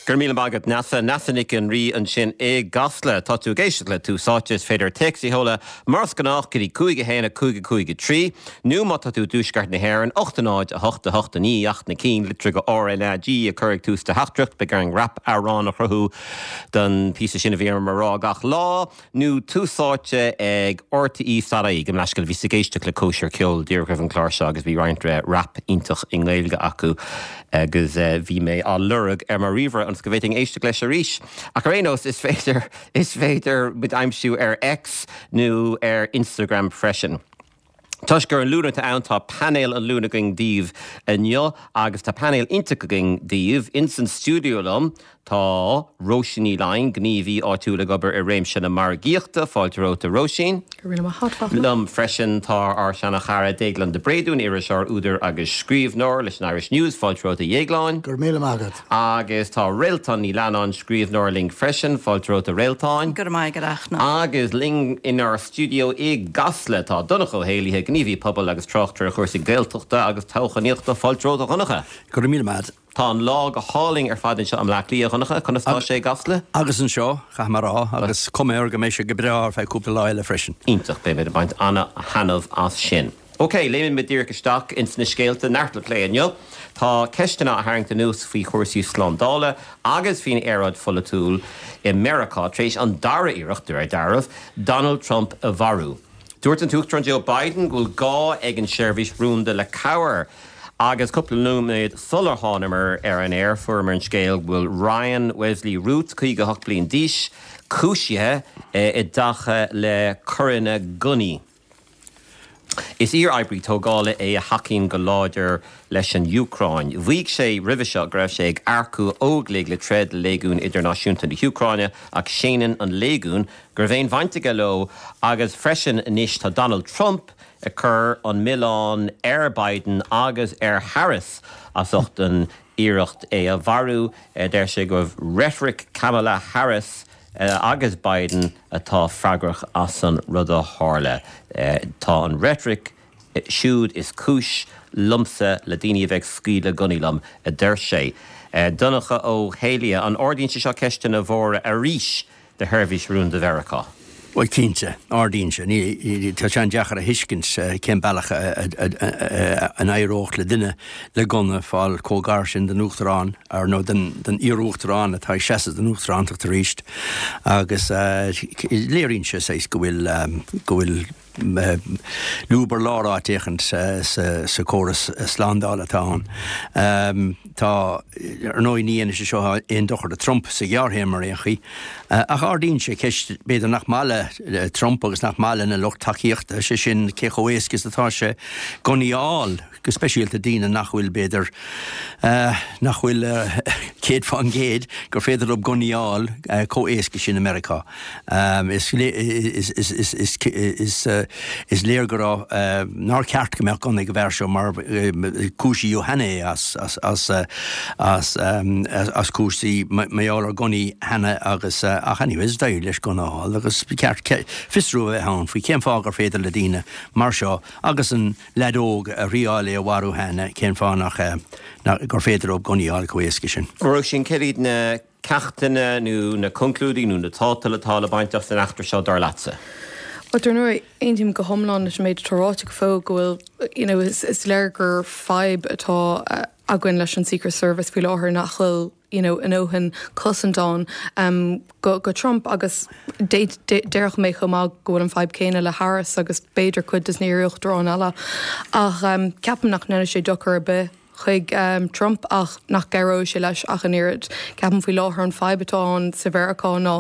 Go raibh míle maith agat Neasa. Neasa Nic an Rí ansin i gCasla. Tá tú ag éisteacht le Tús Áite. Is féidir téacs a sheoladh mar is gnách go dtí 5 1 5 5 3 nó má tá tú i dTuaisceart na hÉireann, 8 0 8 8 9 ach na cinn litreacha RnaG a chur ag tús do theachtaireacht. Beidh orainn rap amhrán a chruthú don phíosa sin a bhí orm a rá gach lá. nó Tús Áite ag RTÉ dot ie. Gabh mo leithscéal, bhíos ag éisteacht le cóisir ceoil díreach roimh an chlár seo agus bhí roinnt rap iontach i nGaeilge acu agus bhí mé á lorg ar mo ríomhaire ionas go bhféadfainn éisteacht leis arís. Ach ar aon nós, is féidir, is féidir muid a aimsiú ar X nó ar Instagram freisin. Toisc gur an Luan atá ann, tá painéal an Luain againn daoibh inniu agus tá painéal iontach againn daoibh. Ins an stiúideo liom tá Róisín Ní Laighin, gníomhaí áitiúil ag obair i réimse na margaíochta. Fáilte romhat a Róisín. Go raibh míle maith agat, Fachtna. Liom freisin tá ár seana-chara Déaglán de Bréadún, iriseoir, údar agus scríbhneoir leis an Irish News. Fáilte romhat a Dhéagláin. Go raibh míle maith agat. Agus tá Réaltán Ní Leannáin, scríbhneoir linn freisin. Fáilte romhat a Réaltáin. Go raibh maith agat, a Fhachtna. Agus linn inár stiúideo i gCasla tá Donncha Ó hÉallaithe, gníomhaí pobail agus tráchtaire ar chúrsaí Gaeltachta agus toghchánaíochta. Fáilte romhat a Dhonncha. Go raibh míle maith agat. Tá an lá go hálainn ar fad anseo i mBleá Cliath, a Dhonncha. Conas tá sé i gCasla? Agus anseo, caithfidh mé a rá, agus cuma air go mbeidh sé go breá ar feadh cúpla lá eile freisin. Iontach, beimid ag baint ana-thaitneamh as sin. Ok, léimfidh muid díreach isteach ins na scéalta, neart le plé inniu. Tá ceisteanna á tharraingt anuas faoi chúrsaí slándála agus faoin aeráid pholaitiúil i Meiriceá tar éis an dara iarracht, de réir dealraimh, Donald Trump a mharú. Dúirt an tUachtarán Joe Biden go bhfuil gá ag an seirbhís rúnda le cabhair agus cúpla nóiméad sular thánamar ar an aer fuaireamar an scéal go bhfuil Ryan Wesley Routh, 58 bliain d'aois, cúisithe i dtaca le coireanna gunnaí. Is iar-oibrí tógála é a thacaíonn go láidir leis an Úcráin. Mhaígh sé roimhe seo go raibh sé ag earcú óglaigh le troid le Léigiún Idirnáisiúnta na hÚcráine ach séanann an Léigiún go raibh aon bhaint aige leo agus freisin anois tá Donald Trump ag cur an milleán ar Biden agus ar Harris as ucht an iarracht é a mharú. Deir sé go raibh reitric Kamala Harris agus Biden atá freagrach as an rud a tharla. Tá an reitric siúd is cúis liomsa le daoine a bheith ag scaoileadh gunnaí liom, a deir sé. Donncha Ó hÉallaithe, an ardaíonn sé seo ceisteanna mhóra arís do sheirbhís rúnda Mheiriceá? Bhuel, cinnte, ardaíonn sé. Ní, tá sé an-deacair a thuiscint cén bealach a n-éireodh le duine le gunna fáil chomh gar sin don Uachtarán, ar nó don iar-Uachtarán atá ag seasamh don Uachtarántacht arís. Agus léiríonn sé saghas go bhfuil, go bhfuil lúb ar lár áit éicint sa chóras slándála atá ann. Tá, ar ndóigh, ní dhéanfaidh sé seo aon dochar do Trump sa ghearrthéarma ar aon chaoi, ach ardaíonn sé ceist, b'fhéidir, nach maith le Trump agus nach maith lena lucht tacaíochta, sé sin, cé chomh héasca is atá sé gunnaí a fháil, go speisialta daoine nach bhfuil, b'fhéidir, nach bhfuil 100% gur féidir leo gunnaí a fháil chomh héasca sin i Meiriceá. Is léir go raibh, nár cheart go mbeadh gunna ag an bhfear seo mar cúisíodh cheana é as cúrsaí mar gheall ar gunnaí cheana agus ach anyways d'éirigh leis gunna a fháil agus ba cheart fiosrú a bheith ann faoi cén fáth gur féidir le daoine mar seo agus an leaid óg a thriáil é a mharú cheana cén fáth nach gur féidir leo gunnaí a fháil chomh héasca sin. Róisín, céard iad na ceachtanna nó na conclúidí nó na tátail atá le baint as an eachtra seo, dar leatsa? Bhuel, dar ndóigh, aontaím go hiomlán leis an méid atá ráite go fóill go bhfuil, you know, is léir gur fadhb atá againn leis an Secret Service faoi láthair nach bhfuil, you know, a ndóthain cosaint ann um, go, go Trump agus déarfadh mé chomh maith go bhfuil an fadhb céanna le Harris agus b'fhéidir cuid des na hiar-uachtaráin eile. Ach um, ceapaim nach ndéanfaidh sé dochar ar bith chuig Trump ach nach gcabhróidh sé leis ach an oiread. Ceapaim faoi láthair an fadhb atá ann sa Mheiriceá ná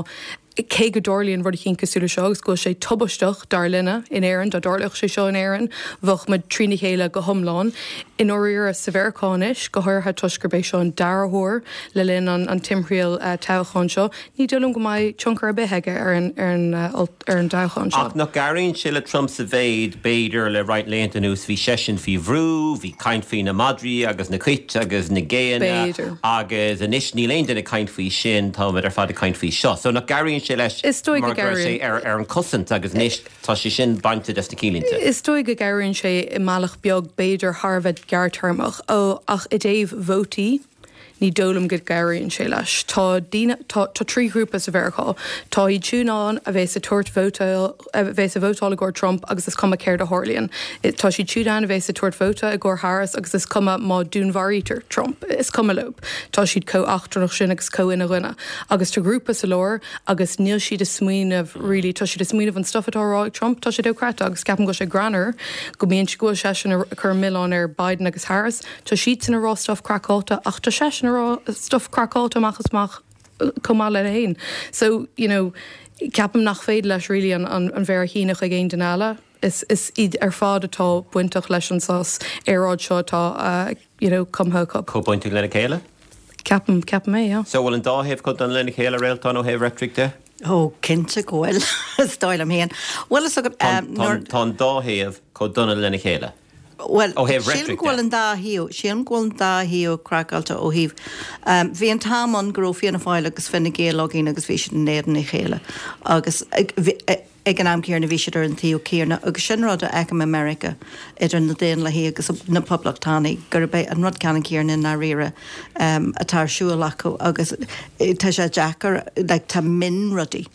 cé go dtarlaíonn rud eicínt cosúil le seo agus go bhfuil sé tubaisteach dar linne in Éirinn, dá dtarlódh sé seo in Éirinn bheadh muid trína chéile go hiomlán. I ndáiríre sa Mheiriceá anois, go háirithe toisc gurb é seo an dara huair le linn an timthriall toghcháin seo, Ní dóigh liom go mbeidh tionchar ar bith aige ar an ar an dtoghchán seo. Ach nach gcabhraíonn sé le Trump sa mhéid, b'fhéidir, le roinnt laethanta anuas, bhí seisean faoi bhrú, bhí caint faoi na madraí agus na cait agus na géanna agus anois níl aon duine ag caint faoi sin, táimid ar fad ag caint faoi seo. So nach gcabhraíonn sé leis Is dóigh go mar go raibh sé gcabhraíonn. ar an cosaint agus anois tá sé sin bainte des na cinnlínte. Is dóigh go gcabhraíonn sé i mbealach beag, b'fhéidir, thar a bheith gearrtéarmach. Ó, ach i dtaobh vótaí? Ní dóigh liom go gcabhraíonn sé leis. Tá daoine, tá, tá 3 ghrúpa sa Mheiriceá. Tá iad siúd ann a bheas ag tabhairt vóta, a bheas ag vótáil i gcomhair Trump agus is cuma céard a tharlaíonn. Tá siad siúd ann a bheas ag tabhairt vóta i gcomhair Harris agus is cuma má dúnmharaítear Trump, is cuma leo. Tá siad chomh eachtrannach sin agus chomh ina gcoinne. Agus tá grúpa sa lár agus níl siad ag smaoineamh really, tá siad ag smaoineamh an stuff atá á rá ag Trump, tá sé dochreidte agus ceapaim go bhfuil sé greannmhar go mbíonn, go bhfuil seisean ag cur an milleán ar Biden agus Harris. Tá siadsan ag rá stuff craiceáilte ach tá seisean ag rá stuff craiceáilte amach is amach chomh maith leis féin. So, you know, ceapaim nach féidir leis really an an mhéar a shíneadh chuig aon duine eile. Is is iad ar fad atá bainteach leis an saghas aeráid seo atá you know cumtha acu. Chomh bainteach lena chéile? Ceapaim, ceapaim é, yeah. So bhfuil an dá thaobh chomh dona lena chéile, Réaltán, ó thaobh reitric de? Ó, cinnte go bhfuil, is dóigh liom féin. Bhuel, is agat, nuair. Tá an dá thaobh chomh dona lena chéile. Bhuel, sílim go bhfuil an dá thaobh, sílim go bhfuil an dá thaobh craiceáilte ó thaobh, bhí an t-am ann go raibh Fianna Fáil agus Fine Gael againn agus bhí siad in éadan a chéile agus ag an am céanna bhí siad ar an taobh céanna agus sin rud a fheicim i Meiriceá idir na Daonlathaigh agus na Poblachtánaigh gurb é an rud ceannann céanna i ndáiríre atá ar siúl acu agus tá sé deacair, like tá mionrudaí.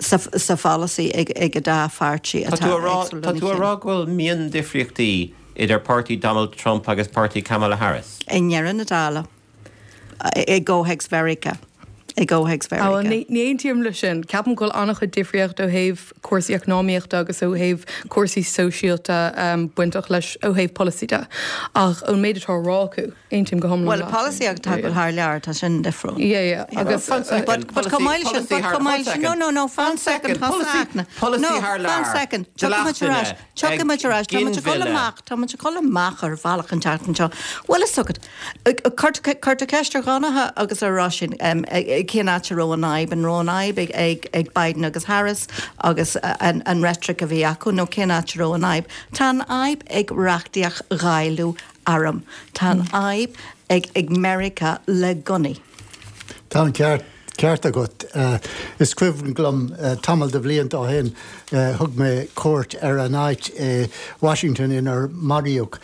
sa pholasaí ag an dá pháirtí atá éagsúil lena chéile. Tá tú a rá go bhfuil miondifríochtaí idir páirtí Donald Trump agus páirtí Kamala Harris? I ndeireadh na dála, i gcomhthéacs Mheiriceá. I gcomhthéacs Mheiriceá. Ní aontaím leis sin. Ceapaim go bhfuil an-chuid difríocht ó thaobh cúrsaí eacnamaíochta agus ó thaobh cúrsaí sóisialta bainteach leis ó thaobh polasaí de. Ach ón méid atá á rá acu, Aontaím go hiomlán Bhuel, leat. polasaí atá ag dul thar lear, tá sin difriúil. Yeah, yeah, agus. Fan second, But, but chomh maith leis sin, but chomh maith leis sin, no, no, no, fan second, Polasaí, polasaí thar lear, fan second, tiocfaidh muid ar ais, tiocfaidh muid ar ais, tá muid ag dul amach, tá muid ag dul amach ar bhealach an tseachtain seo. Bhuel, is agat, cuir ceist ar Dhonncha agus ar Róisín, cén áit a raibh an fhadhb, an raibh an fhadhb ag, ag, ag Biden agus Harris agus an, an reitric a bhí acu, nó cén áit a raibh an fhadhb? Tá an fhadhb ag reachtaíocht dháileadh arm. Tá an fhadhb ag ag Meiriceá le gunnaí. Tá an ceart ceart agat. Is cuimhin liom tamall de bhlianta ó shin thug mé cuairt ar an áit i Washington inar maraíodh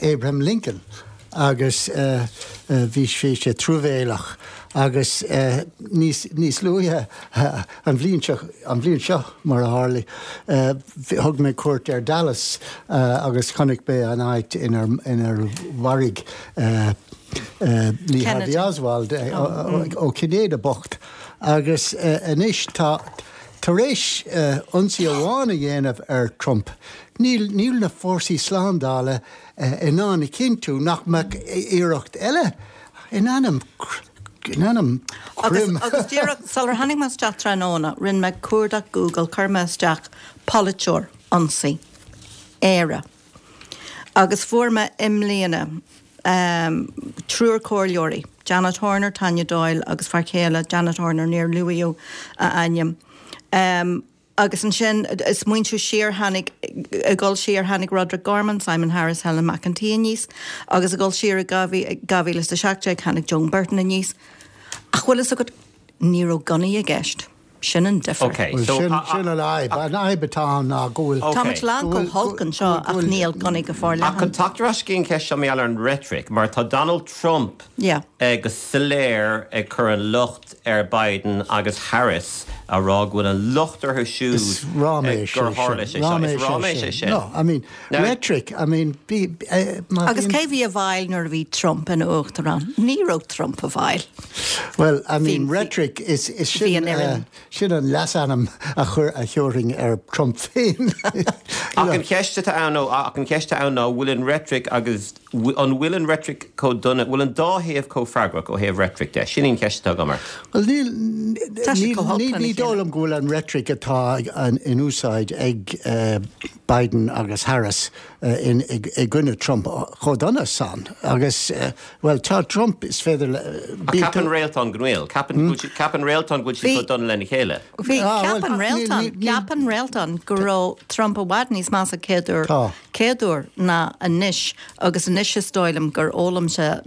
Abraham Lincoln agus bhí sé truamhéalach agus níos níos luaithe An bhliain seo, an bhliain seo, mar a tharlaigh, thug mé cuairt ar Dallas agus chonaic mé an áit inar mharaigh Lee Harvey Oswald, ó Cinnéide bocht. Agus anois tá, tar éis ionsaí amháin a dhéanamh ar Trump, níl, níl na fórsaí slándála in ann a chinntiú nach mbeadh iarracht eile In ainm, in ainm Agus, agus díreach sular tháinig mé isteach tráthnóna, rinne mé cuardach Google, chuir mé isteach polaiteoir, ionsaí, Éire. Agus fuair mé i mbliana triúr comhairleoirí, Janet Horner, Tanya Doyle agus fear céile Janet Horner, níor luaíodh a ainm. Agus ansin, ag smaointiú siar, tháinig, ag dul siar, tháinig Roderick Gorman, Simon Harris, Helen McEntee aníos, agus ag dul siar i 2017, tháinig Joan Burton aníos. Ach bhfuil fhios agat, ní raibh gunnaí i gceist. Sin an difear. Ok, so. Sin an fhadhb. An fhadhb atá ann ná go bhfuil. Tá muid lán chomh holc anseo ach níl gunnaí go forleathan. Ach chun teacht ar ais go dtí an cheist seo mar gheall ar an reitric, mar tá Donald Trump go soiléir ag cur an locht ar Biden agus Harris a rá go bhfuil an locht orthu siúd Is ráiméis gur é tharla sin. sé seo. Is ráiméis é sin. No, I mean, Now- rhetoric, I mean, bí, eh, má Agus bhíonn- cé bhí i bhfeighil nuair a bhí Trump ina uachtarán? Ní raibh Trump i bhfeighil. Well, I mean, Bhí- rhetoric is, is bhí sin, an fhoireann. eh, sin an leasainm a chuir, a thabharfainn ar Trump féin. Ach an cheist atá ann, nó ach an cheist atá ann ná, bhfuil an reitric agus An bhfuil an reitric chomh dona, bhfuil an dá thaobh chomh freagrach ó thaobh reitric de? Sin í an cheist atá agam ort. Bhuel, níl, níl, ní dóigh liom go bhfuil an reitric atá in úsáid ag Biden agus Harris i gcoinne Trump chomh dona san. Agus, bhuel, tá Trump, is féidir le. Ach ceapann Réaltán go bhfuil. Ceapann Réaltán go bhfuil siad chomh dona lena chéile. Bhí, ceapann Réaltán, ceapann Réaltán go raibh Trump i bhfad níos measa céad uair. chéad uair ná anois agus anois is dóigh liom gur fhoghlaim sé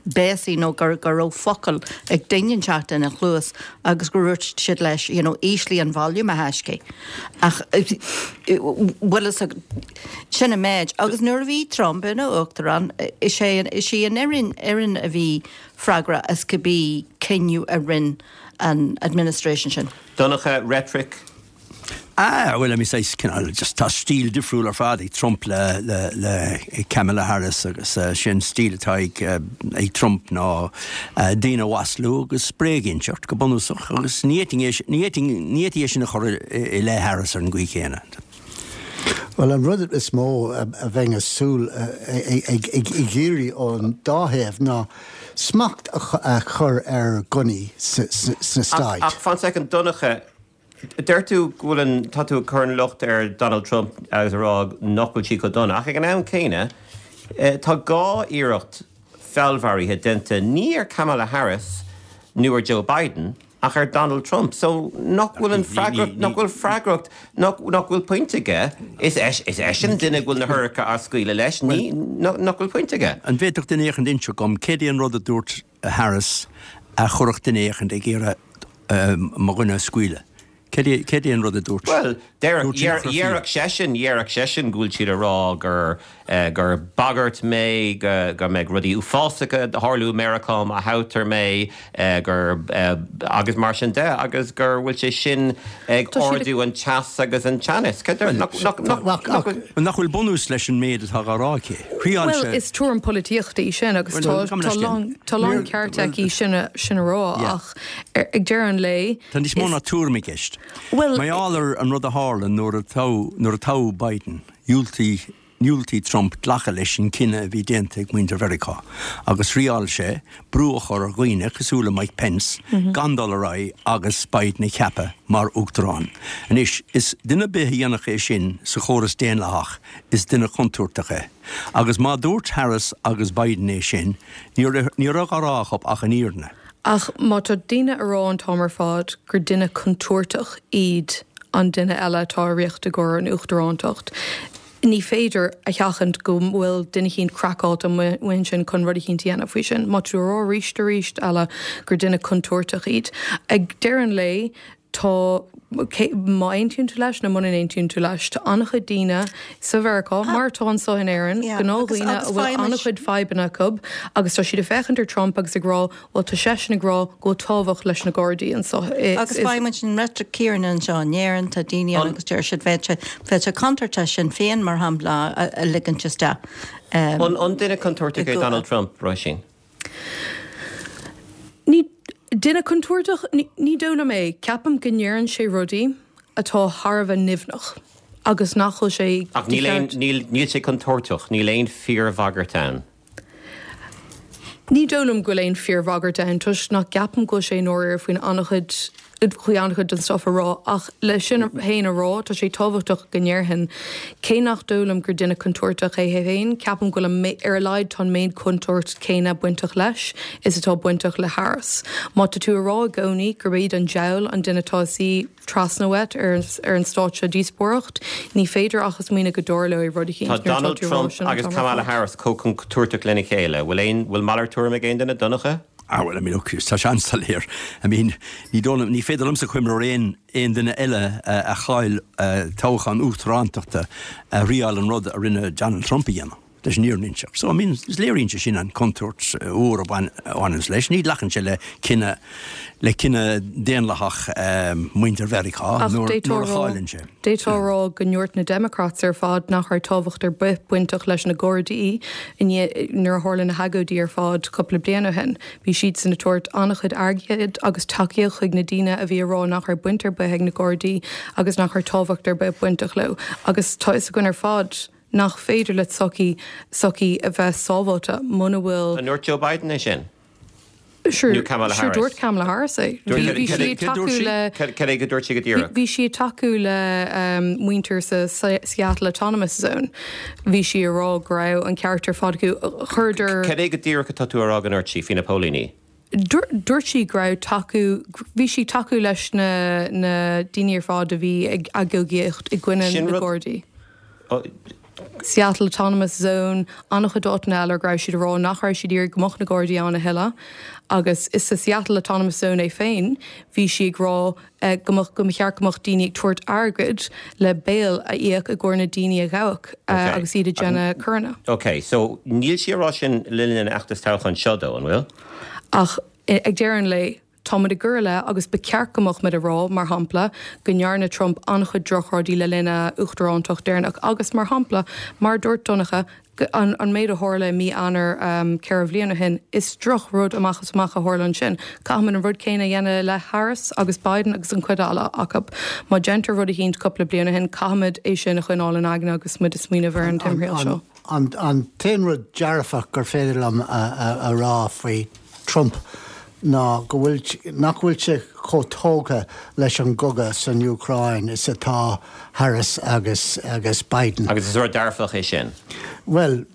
béasaí nó gur go raibh focal ag duine inteacht ina chluas agus gur dhúirt siad leis you know. you know, ísligh an volume a thaiscidh. Ach bhfuil fhios agat, sin an méid. Agus nuair a bhí Trump ina uachtarán, is é, is í an fhoireann, fhoireann a bhí freagrach as cibé cinneadh a rinne an administration sin. Donncha, reitric. Ah, bhuel, I mean, saghas cineál, just tá stíl difriúil ar fad ag Trump le, le, le Kamala Harris agus sin stíl atá ag, ag Trump ná daoine a mhaslú agus bréag a inseacht go bunúsach agus ní fhéadfainn é, ní fhéadfainn, ní fhéadfaí é sin a chur i leith Harris ar an gcaoi chéanna. Bhuel, an rud is mó a bheinn ag súil ag iarraidh ón dá thaobh ná smacht a chur ar ghunnaí sna Stáit. Ach, ach fan soicind, Donncha, Deir tú go bhfuil an, tá tú ag cur an locht ar Donald Trump agus ag rá nach bhfuil siad chomh dona, ach ag an am céanna tá 2 iarracht feallmharaithe déanta ní ar Kamala Harris nó ar Joe Biden ach ar Donald Trump. So nach bhfuil an freagracht, nach bhfuil freagracht, nach, nach bhfuil pointe aige, is is eisean an duine go bhfuil na hurchara á scaoileadh leis, ní, nach bhfuil pointe aige. An bhféadfadh duine éicint inseacht dhom céard é an rud a dúirt Harris a chuirfeadh duine éicint ag iarraidh mo dhuine a scaoileadh. Céard é an rud a dúirt? Bhuel, déarfadh seisean, déarfadh seisean go bhfuil siad ag rá gur, gur bagairt mé, go mbeidh rudaí uafásacha ag tarlú i Meiriceá má thoghtar mé, gur, agus mar sin de, agus gur bhfuil sé sin ag ardú an teas agus an teannas. Nach bhfuil bunús leis an méid atá á rá aici? Thriáil sé. Bhuel, is tuairim polaitíochta í sin agus tá lán ceart aici sin a rá ach ag deireadh an lae. Tá níos mó ná tuairim i gceist. Mar gheall ar an rud a tharla nuair a toghadh Biden, dhiúltaigh dhiúltaigh Trump glacadh leis an cinneadh a bhí déanta ag muintir Mheiriceá agus thriáil sé brú a chur ar dhaoine cosúil le Mike Pence gan dul ar aghaidh agus Biden a cheapadh mar uachtarán. Anois, is duine ar bith a dhéanfadh é sin sa chóras daonlathach, is duine contúirteach é. Agus má dúirt Harris agus Biden é sin, ní raibh á rá acu ach an fhírinne. Ach má tá daoine a rá an t-am ar fad gur duine contúirteach iad an duine eile atá i riocht i gcomhair an uachtarántacht, ní féidir a sheachaint go bhfuil duine eicínt craiceáilte amuigh ansin chun rud eicínt a dhéanamh faoi sin. Má tá tú a rá arís arís eile gur duine contúirteach iad, ag deireadh an lae, Tá, má aontaíonn tú leis nó muna n-aontaíonn tú leis, tá an-chuid daoine sa Mheiriceá, mar atá anseo in Éirinn, gnáthdhaoine a bhfuil an-chuid fadhbanna acu agus tá siad ag féachaint ar Trump agus ag rá, bhuel tá seisean ag rá go bhfuil tábhacht leis na Gardaí anseo i. Agus faigheann muid an reitric chéanna anseo in Éirinn, tá daoine ann agus deir siad bheadh sé, bheadh sé contúirteach Sinn Féin, mar shampla, a ligint isteach. An duine contúirteach é Donald Trump, Róisín? Ní duine contúirteach, ní dóigh liom é. Ceapaim go ndeireann sé rudaí atá thar a bheith nimhneach agus nach bhfuil sé Ach níl aon, níl, níl sé contúirteach, níl aon fíorbhagairt ann. Ní dóigh liom go bhfuil aon fíorbhagairt ann toisc nach gceapaim go bhfuil sé i ndáiríre faoin an-chuid faoi an-chuid den stuff a rá, ach le sin féin a rá, tá sé tábhachtach go ndéarfainn, cé nach dóigh liom gur duine contúirteach é féin, ceapaim go bhfuil an, ar a laghad tá an méid contúirt céanna bainteach leis is atá bainteach le Harris. Má tá tú a rá i gcónaí gurb iad an diabhal an duine atá ina suí trasna uait ar ar an stáitse díospóireacht, ní féidir ach a smaoineamh go dtarlóidh rud eicínt Tá nuair atá Donald tú a rá Trump sin an agus t-am ar Kamala fad. Harris chomh contúirteach lena chéile. Bhfuil aon, bhfuil malairt tuairime ag aon duine, Donncha? Ah well, I mean, ok, tá sé an-soiléir. I mean, ní dóigh liom, ní féidir liomsa cuimhneamh ar aon, aon duine eile a chaill toghchán uachtarántachta a thriáil an rud a rinne Donald Trump a dhéanamh, leis an fhírinne a inseacht. So, I mean, is léiríonn sé sin an contúirt mhór a bhaineanns leis. Ní ghlacann sé le cinneadh, le cinneadh daonlathach muintir Mheiriceá nuair, nuair a chailleann sé. D'fhéadfá a rá go ndúirt na Democrats ar fad nach raibh tábhacht ar bith bainteach leis na Gardaí i ndiaidh nuair a tharla na hagóidí ar fad cúpla bliain ó shin. Bhí siadsan ag tabhairt an-chuid airgid agus tacaíocht chuig na daoine a bhí ag rá nach raibh baint ar bith ag na Gardaí agus nach raibh tábhacht ar bith bainteach leo. Agus tá fhios againn ar fad nach féidir le tsochaí sochaí a bheith sábháilte muna bhfuil An ndúirt Joe Biden é sin? Sure, Nó Kamala sure Harris. dúirt Kamala Harris é. Bhí bhí sí ag tacú le Cad é go dúirt sí go díreach? Bhí sí ag tacú le muintir sa Seattle Autonomous Zone. Bhí sí ag rá go raibh an ceart ar fad acu. Chuireadar. Cad é go díreach atá tú a rá go ndúirt sí faoi na póilíní? Dúirt sí go raibh tacú, bhí sí ag tacú leis na na daoine ar fad a bhí ag agóidíocht i gcoinne na Gardaí. Seattle Autonomous Zone, an-chuid áiteanna eile go raibh siad ag rá nach raibh siad ag iarraidh go mbeadh na Gardaí ann a thuilleadh. Agus is sa Seattle Autonomous Zone é féin, bhí sí ag rá go mbeadh, go mba cheart go mbeadh daoine ag tabhairt airgid le bail a íoc i gcomhair na daoine a ghabhadh agus iad ag déanamh coireanna. Ok, so níl sí ag rá sin le linn an fheachtais toghcháin seo though, an bhfuil? Ach ag deireadh an lae, Tá muid ag cur i leith, agus ba cheart go mbeadh muid ag rá, mar shampla, go ndearna Trump an-chuid drochrudaí le linn a uachtarántacht deireanach agus, mar shampla, mar a dúirt Donncha, an méid a tharla i mí Eanáir 4 bhliain ó shin, is drochrud amach is amach a tharla ansin. Caithfimid an rud céanna a dhéanamh i leith Harris agus Biden agus an chuid eile acu. Má deintear rud eicínt cúpla bliain ó shin, caithfimid é sin a choinneáil in aigne agus muid ag smaoineamh ar an timthriall seo. An t-aon rud dearfach gur féidir liom a rá faoi Trump ná go bhfuil, nach bhfuil sé chomh tógtha leis an gcogadh san Úcráin is atá Harris agus agus Biden. Agus is rud dearfach é sin? Bhuel,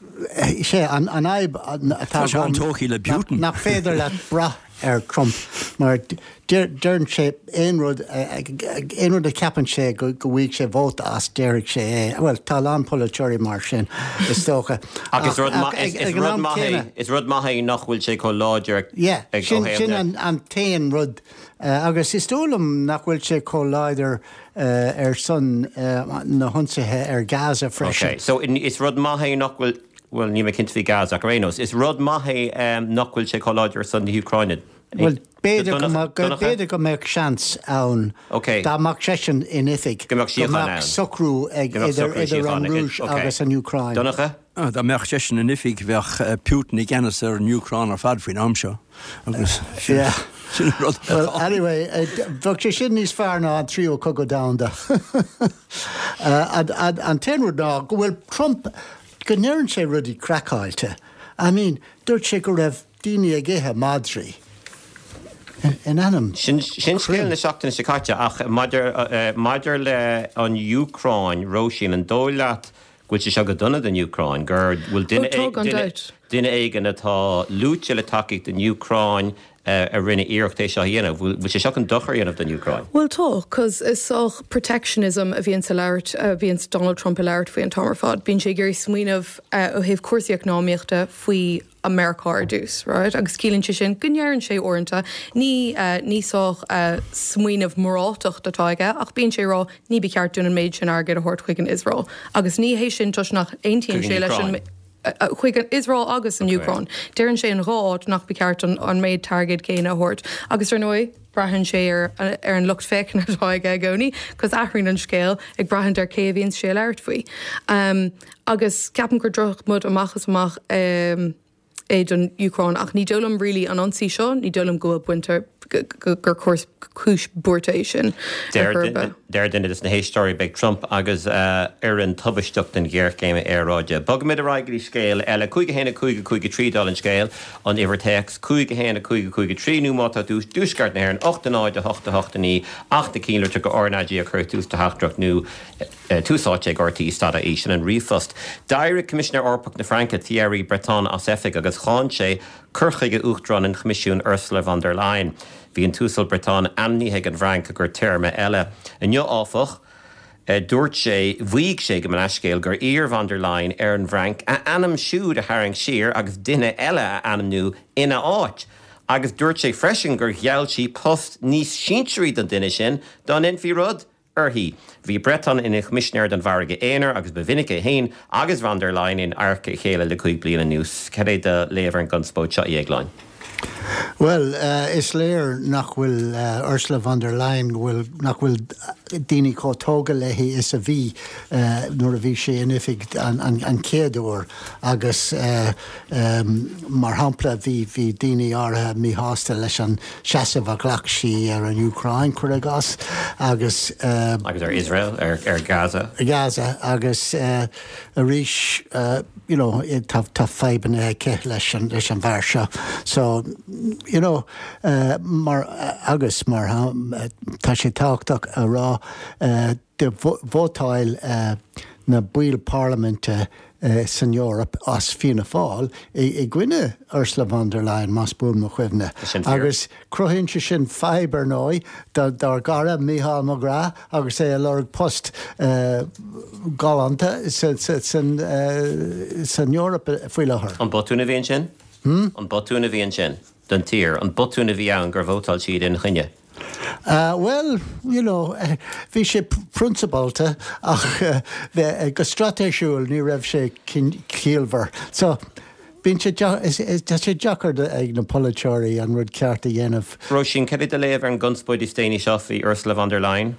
sé an fhadhb atá agam nach féidir leat brath ar Trump mar deireann sé aon rud, aon rud a cheapann sé go bhfaighidh sé vóta as, déarfaidh sé é. Bhuel, tá a lán polaiteoirí mar sin, is dócha. Ach is rud maith é, is rud maith é nach bhfuil sé chomh láidir ag Yeah, sin, sin an t-aon rud. Agus is dóigh liom nach bhfuil sé chomh láidir ar son na hionsaithe ar Gaza freisin. Ok, so is rud maith é nach bhfuil, bhuel, níl mé cinnte faoi Gaza ach ar aon nós, is rud maith é nach bhfuil sé chomh láidir ar son na hÚcráine. Bhuel, b'fhéidir go mbeadh, b'fhéidir go mbeadh seans ann dá mbeadh seisean in oifig go mbeadh socrú ag idir idir an Rúis agus an Úcráin. Donncha? Dá mbeadh seisean in oifig bheadh Putin i gceannas ar an Úcráin ar fad faoin am seo agus sin an rud atá ann. Well, anyway, bheadh sé sin níos fearr ná an tríú cogadh domhanda. An t-aon rud ná go bhfuil Trump, go ndeireann sé rudaí craiceáilte. I mean, dúirt sé go raibh daoine ag ithe madraí. In ainm Sin scéal na seachtaine seo caite ach maidir maidir le an Úcráin, Róisín, an dóigh leat go bhfuil sé seo go dona don Úcráin, gur bhfuil duine Ó tá, gan dabht. duine éigin atá luaite le tacaíocht don Úcráin a rinne iarracht é seo a dhéanamh, bhfuil sé seo chun dochar a dhéanamh don Úcráin? Bhuel tá, cos is sách protectionism a bhíonns a labhairt, a bhíonns Donald Trump a labhairt faoi an t-am ar fad. Bíonn sé ag iarraidh smaoineamh ó thaobh cúrsaí eacnamaíochta faoi Meiriceá ar dtús, right? Agus ciallaíonn sé sin go ndeireann sé uaireanta, ní, ní sách smaoineamh moráltacht atá aige ach bíonn sé ag rá ní ba cheart dúinn an méid sin airgid a thabhairt chuig an Iosrael. Agus ní hé sin toisc nach aontaíonn sé leis an, chuig an Iosrael agus an Úcráin. Deireann sé in dhá áit nach ba cheart an méid airgid céanna a thabhairt. Agus ar ndóigh, braitheann sé ar ar an lucht féachana atá aige i gcónaí, cos athraíonn an scéal ag braithint ar cé a bhíonns sé ag labhairt faoi. Agus ceapaim gur drochrud amach is amach é don Úcráin ach ní dóigh liom really an ionsaí seo, ní dóigh liom go bhfuil baint gur cúis buartha é sin ar chor ar bith. Deir duine de na héisteoirí, beidh Trump agus a fhoireann tubaisteach don ghéarchéim aeráide. Bogfaimid ar aghaidh go dtí scéal eile. 5 1 5 5 3 dála an scéil, an uimhir téacs, 5 1 5 5 3 nó má tá tú i dtuaisceart na hÉireann, 8 0 8 8 9 ach na cinnlitir go RnaG a chur ag tús do theachtaireacht nó Tús Áite ag RTÉ stad ie, sin an ríomhphost. D'éirigh Coimisinéir Eorpach na Fraince, Thierry Breton, as oifig agus cháin sé cur chuige Uachtarán an Choimisiúin Ursula von der Leyen. Bhí an tUasal Breton ainmnithe ag an bhFrainc i gcomhair téarma eile. Inniu, áfach, dúirt sé, mhaígh sé, gabh mo leithscéal, gur iarr von der Leyen ar an bhFrainc a ainm siúd a tharraingt siar agus duine eile a ainmniú ina áit. Agus dúirt sé freisin gur gheall sí post níos sinsearaí don duine sin dá ndéanfaí rud uirthi. Bhí Breton ina Choimisinéir don Mhargadh Aonair agus ba mhinic é féin agus von der Leyen in adharca a chéile le 5 bliana anuas. Cad é do léamh ar an gconspóid seo, a Dhéagláin? Bhuel, is léir nach bhfuil Ursula von der Leyen, go bhfuil, nach bhfuil daoine chomh tógtha léi is a bhí nuair a bhí sí in oifig an chéad uair agus mar shampla bhí, bhí daoine áirithe míshásta leis an seasamh a ghlac sí ar an Úcráin, cuir i gcás, agus. Agus ar Iosrael, ar Gaza. Gaza, agus arís, you know, tá fadhbanna aici leis an, leis an bhfear seo. So, you know, mar, agus mar, tá sé tábhachtach a rá, do vótáil na baill parlaiminte. san Eoraip as Fianna Fáil i gcoinne Ursula von der Leyen, más buan mo chuimhne. Agus cruthaíonn sé sin fadhb, ar ndóigh, dár gcara Mícheál McGrath agus é ag lorg post galánta san Eoraip faoi láthair. An botún a bhí ansin? An botún a bhí ansin don tír? An botún a bhí ann gur vótáil siad ina choinne? Bhuel, you know, bhí sé prionsabálta ach go straitéisiúil ní raibh sé ciallmhar. So, bíonn sé, tá sé deacair ag na polaiteoirí an rud ceart a dhéanamh. Róisín, cad é do léamh ar an gconspóid is déanaí seo faoi Ursula von der Leyen?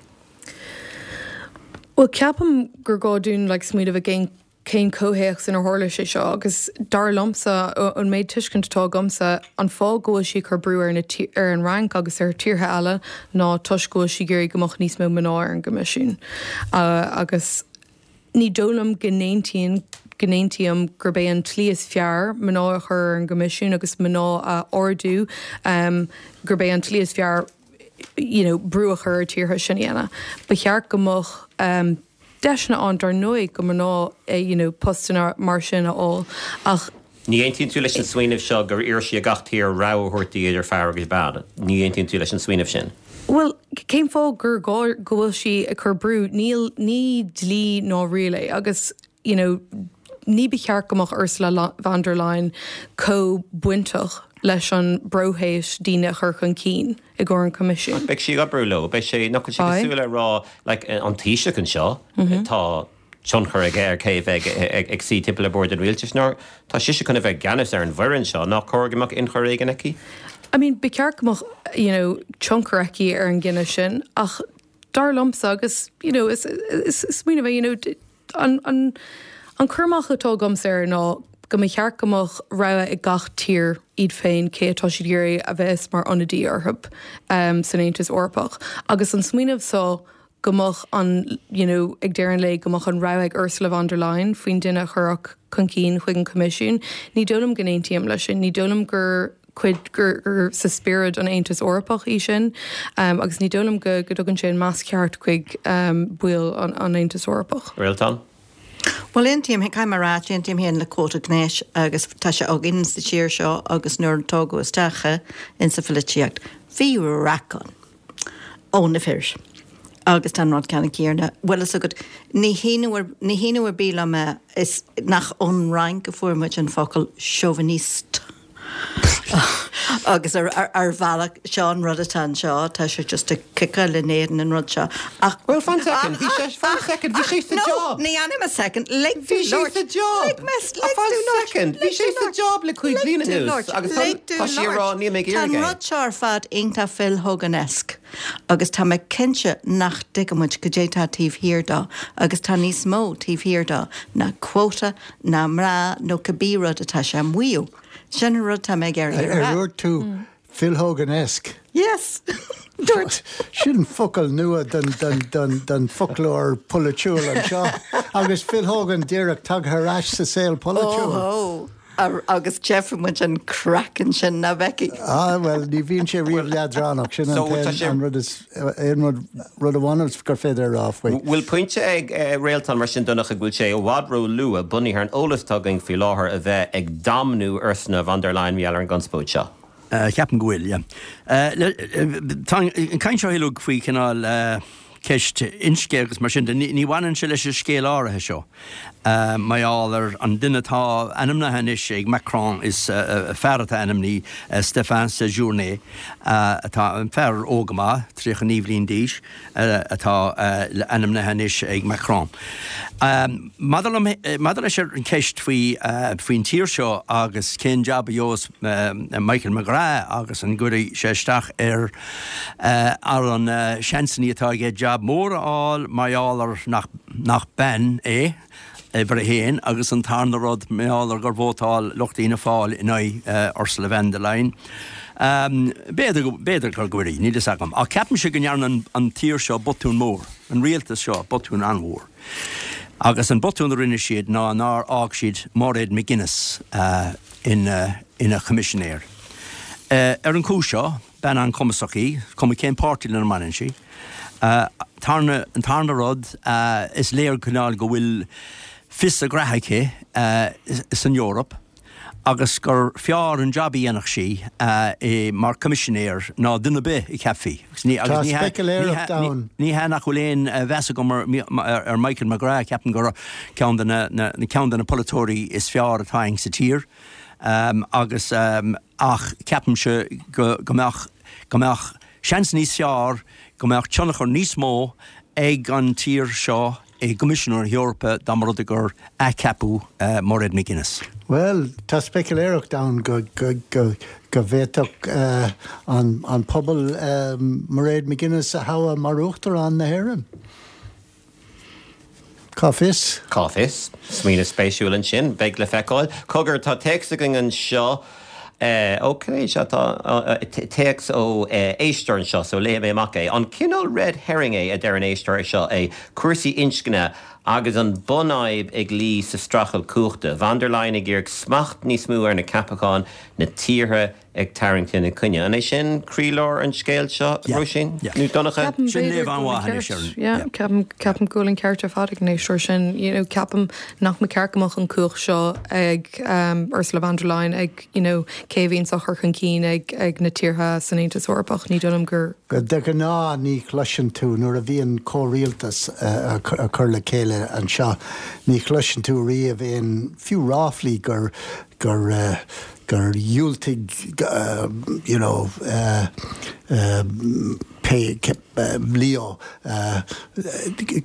Bhuel, ceapaim gur gá dúinn like smaoineamh i gcén cén comhthéacs inar tharla sé seo agus dar liomsa, ón méid tuiscint atá agamsa, an fáth go bhfuil sí ag cur brú ar na ar an Fhrainc agus ar tíortha eile ná toisc go bhfuil sí ag iarraidh go mbeadh níos mó mná ar an gCoimisiún. Agus ní dóigh liom go n-aontaíonn go n-aontaím gurb é an tslí is fearr mná a chur ar an gCoimisiún agus mná a ardú, gurb é an tslí is fearr you know brú a chur ar tíortha sin a dhéanamh. Ba cheart go mbeadh. deiseanna ann dar ndóigh do mhná you know postanna mar sin a fháil ach. Ní aontaíonn tú leis an smaoineamh seo gur iarr sí ar gach tír rogha a thabhairt di idir fear agus bean? Ní aontaíonn tú leis an smaoineamh sin? Bhuel, cén fáth gur gá go bhfuil sí ag cur brú? Níl, ní dlí ná riail é agus you know ní ba cheart go mbeadh Ursula von der Leyen chomh bainteach leis an bpróiseas daoine a chur chun cinn i gcomhair an Choimisiúin. Beidh sí ag oibriú leo. Beidh sé, nach bhfuil sé cosúil le rá like an Taoiseach anseo, tá tionchar aige ar cé a bheidh ag suí timpeall ar bord an rialtais nó tá sise chun a bheith i gceannas ar an bhfoireann seo, nach cóir go mbeadh ionchur éigin aici? I mean, ba cheart go mbeadh you know tionchar aici ar an gcinneadh sin ach dar liomsa agus you know is smaoineamh é you know An an cur amach atá agamsa air ná go mba cheart go mbeadh rogha ag gach tír iad féin cé atá siad ag iarraidh a bheas mar ionadaí orthu san Aontas Eorpach. Agus an smaoineamh so go mbeadh an you know ag deireadh an lae go mbeadh an rogha ag Ursula von der Leyen faoin duine a chuirfeadh chun cinn chuig an Coimisiún, ní dóigh liom go n-aontaím leis sin. Ní dóigh liom gur cuid gur sa spiorad an Aontas Eorpach í sin agus ní dóigh liom go dtugann sé an meas ceart chuig baill an Aontais Eorpach. Réaltán? Bhuel, aontaím, caithfidh mé a rá, aontaím féin le quota gnéis agus tá sé againn sa tír seo agus nuair a tógadh isteach é insa pholaitíocht, bhí raic ann ó na fir agus tá an rud ceannann céanna. Bhfuil fhios agat, ní hionadh, ní hionadh ar bith liom é, is nach ón Fhrainc a fuair muid an focal chauviniste. Agus ar bhealach, seo an rud atá anseo, tá sé just ag ciceáil in éadan an rud seo. Ach. Well, fan second, bhí sé, fan second, bhí sé sa job. No, ní fhanfaidh mé second, lig domh labhairt. Bhí sé sa job. Lig mé, lig domh labhairt. Fan second, bhí sé sa job le 5 bliana anuas agus tá sí ag rá níl mé ag iarraidh é. Tá an rud seo ar fad iontach Phil Hogan-esque agus tá mé cinnte nach dtuigeann muid goidé tá taobh thiar dó agus tá níos mó taobh thiar dó ná quota ná mná nó cibé rud atá sé a mhaíomh. Sin an rud atá mé ag iarraidh a rá. Ar dhúirt tú Phil Hogan-esque? Yes! Dúirt. Sin focal nua don foclóir polaitiúil anseo. Agus Phil Hogan díreach tagtha ar ais sa saol polaitiúil. Óhó! Agus tchífidh muid an craic ansin, nach bhfeicfidh? Ah, bhuel, ní bhíonn sé riamh leadránach, sin an rud is, aon rud, rud amháin gur féidir a rá faoi. Bhfuil pointe ag Réaltán mar sin, Donncha, go bhfuil sé i bhfad ró-luath, bunaithe ar an eolas atá againn faoi láthair, a bheith ag damnú Ursula von der Leyen mar gheall ar an gconspóid seo? Ceapaim go bhfuil, yeah. Tá an chaint seo uilig faoi chineál ceist inscne agus mar sin de, ní bhaineann sé leis an scéal áirithe seo. Mar gheall ar an duine atá ainmnithe anois ag Macron, is fear atá ainmnithe, Stéphane Séjourné, atá fear óg go maith, 39 bhliain d'aois, atá ainmnithe anois ag Macron. Maidir liom, maidir leis an cheist faoi, faoin tír seo agus cén jab a gheobhas Michael McGrath agus an gcuirfidh sé isteach ar, ar an seansannaí atá aige jab mór a fháil mar gheall ar nach, nach bean é, uimhir a haon, agus an tarna rud, mar gheall ar gur vótáil lucht Fhianna Fáil in aghaidh Ursula von der Leyen. B'fhéidir go, b'fhéidir go gcuirfidh, níl fhios agam. Ach ceapaimse go ndearna an tír seo botún mór, an rialtas seo botún an-mhór. Agus an botún a rinne siad ná nár fhág siad Mairéad McGuinness ina, ina choimisinéir. Ar an chúis seo, bean an-chumasach í, cuma cén páirtí lena mbaineann sí. Tarna, an tarna rud, is léir cineál go bhfuil. fios a graithe aici san Eoraip agus gur fearr an jab a dhéanfadh sí mar Coimisinéir ná duine ar bith a cheapfaí. Tá speicealéireacht ann. Ní hea nach bhfuil aon mheas agam ar Michael McGrath, ceapaim gur ceann de na ceann de na polaiteoirí is fearr atá againn sa tír agus ach ceapaimse go mbeadh go mbeadh seans níos fearr go mbeadh tionchar níos mó ag an tír seo i gCoimisiún na hEorpa dá mba rud é gur athcheapadh Mairéad McGuinness. Bhuel, tá speicealéireacht ann go bhféadfadh an pobal Mairéad McGuinness a thoghadh mar Uachtarán na hÉireann. Cá fios? Cá fios? Smaoineamh spéisiúil ansin. Beidh le feiceáil. Cogar, tá téacs againn anseo. Ok, sea, tá téacs ó éisteoir anseo, so léifidh mé amach é. An cineál red herring é, a deir an éisteoir seo, é cúrsaí inscne agus an bunfhadhb ag luí sa streachailt cumhachta? Von der Leyen ag iarraidh smacht níos mó ar na ceapacháin, na tíortha ag tarraingt ina coinne. An é sin croílár an scéil seo, Róisín? Nó Donncha? Ceapaim b'fhéidir go bhfuil an ceart. Yeah, ceapaim, ceapaim go bhfuil an ceart ar fad ag an éisteoir sin. You know, ceapaim nach mba ceart go mbeadh an cumhacht seo ag um, Ursula von der Leyen ag, you know, cé a bhíonns á chur chun cinn ag, ag na tíortha san Aontas Eorpach. Ní dóigh liom gur. De ghnáth ní chloiseann tú, nuair a bhíonn comhrialtas á cur le chéile anseo, ní chloiseann tú riamh aon, fiú ráflaí gur, gur, gur dhiúltaigh you know pé Leo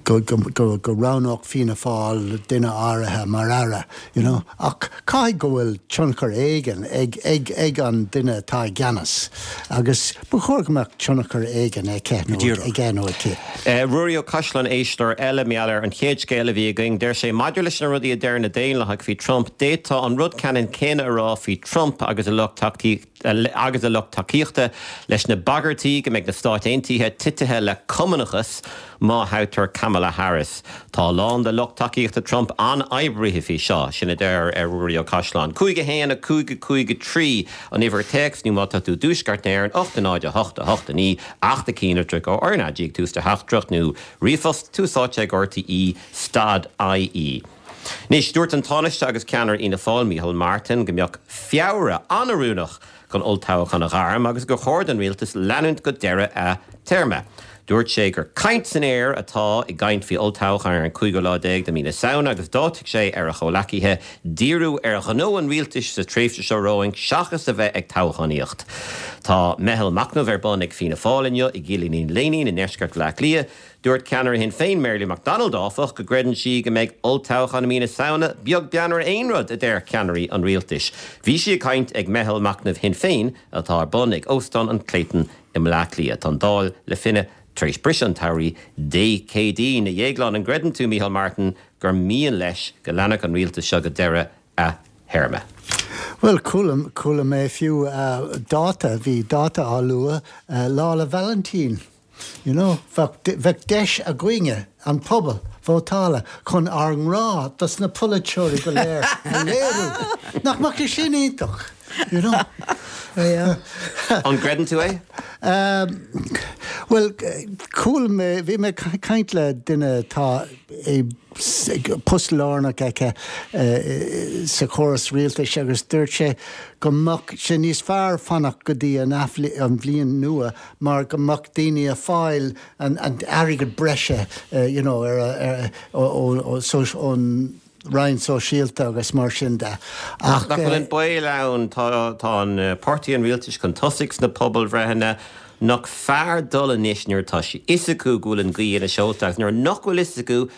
go go roghnódh Fianna Fáil duine áirithe mar aire you know ach caithfidh go bhfuil tionchar éigin ag ag ag an duine atá i gceannas agus ba chóir go mbeadh tionchar éigin aici nó aige nó aici. Ruairí Ó Caisleáin éisteoir eile, mar gheall ar an chéad scéal a bhí againn, deir sé, Maidir leis na rudaí a deir na Daonlathaigh faoi Trump, d'fhéadfá an rud ceannann céanna a rá faoi Trump agus a lucht agus a lucht tacaíochta leis na bagairtí go mbeidh na Stáit Aontaithe titithe le cumannachas má thoghtar Kamala Harris. Tá a lán de lucht tacaíochta Trump an-oibrithe faoi seo, sin a deir Ruairí Ó Caisleáin. 5 1 5 5 3 an uimhir téacs nó má tá tú i dTuaisceart na hÉireann 8 0 8 8 9 8 1 litreach ó RnaG ag tús do theachtaireacht nó ríomhphost, Tús Áite ag RTÉ stad IE. Anois, dúirt an Tánaiste agus ceannaire Fhianna Fáil, Micheál Martin, go mbeadh Feabhra an-oiriúnach chun olltoghchán a ghairm agus gur chóir don rialtas leanúint go deireadh a théarma. Dúirt sé gur caint san aer atá i gcaint faoi olltoghchán ar an cúigiú lá déag de mhí na Samhna agus d'áitigh sé ar a chomhleacaithe díriú ar ghnó an rialtais sa tréimhse seo romhainn seachas a bheith ag toghchánaíocht. Tá meitheal machnaimh ar bun ag Fianna Fáil inniu i gCillín Léinín i ndeisceart Bhaile Átha Cliath. Dúirt ceannaire Shinn Féin, Mary Lou McDonald, áfach, go gcreideann sí go mbeidh olltoghchán i mí na Samhna beag beann ar aon rud a deir ceannairí an rialtais. Bhí sí ag caint ag meitheal machnaimh Shinn Féin atá ar bun ag Óstán an Clayton i mBleá Cliath. Tá an Dáil le finneadh tar éis briseadh an tsamhraidh Dé Céadaoin. A Dhéagláin, an gcreideann tú, Micheál Martin, gur mian leis go leanfadh an rialtas seo go deireadh a théarma? Bhuel, chuala, chuala mé fiú dáta, bhí dáta á lua, Lá 'le Vailintín. You know, bheadh, bheadh deis againne, an pobal, vótála chun ár ngrá dos na polaiteoirí go léir a léiriú. Nach mbeadh sé sin iontach? You know? An gcreideann tú é? Bhuel, chuala mé, bhí mé ag caint le duine atá i post lárnach aici sa chóras rialtais agus dúirt sé go mbeadh sé níos fearr fanacht go dtí an an bhliain nua mar go mbeadh daoine ag fáil an airgead breise you know ar a ón Roinn Sóisialta agus mar sin de. Ach nach bhfuil an baol ann, tá tá an páirtí an rialtais chun tosaigh sna pobalbhreitheanna, nach fearr dul anois nuair atá a fhios acu go bhfuil an ghaoth ina seolta agus nuair nach bhfuil fhios acu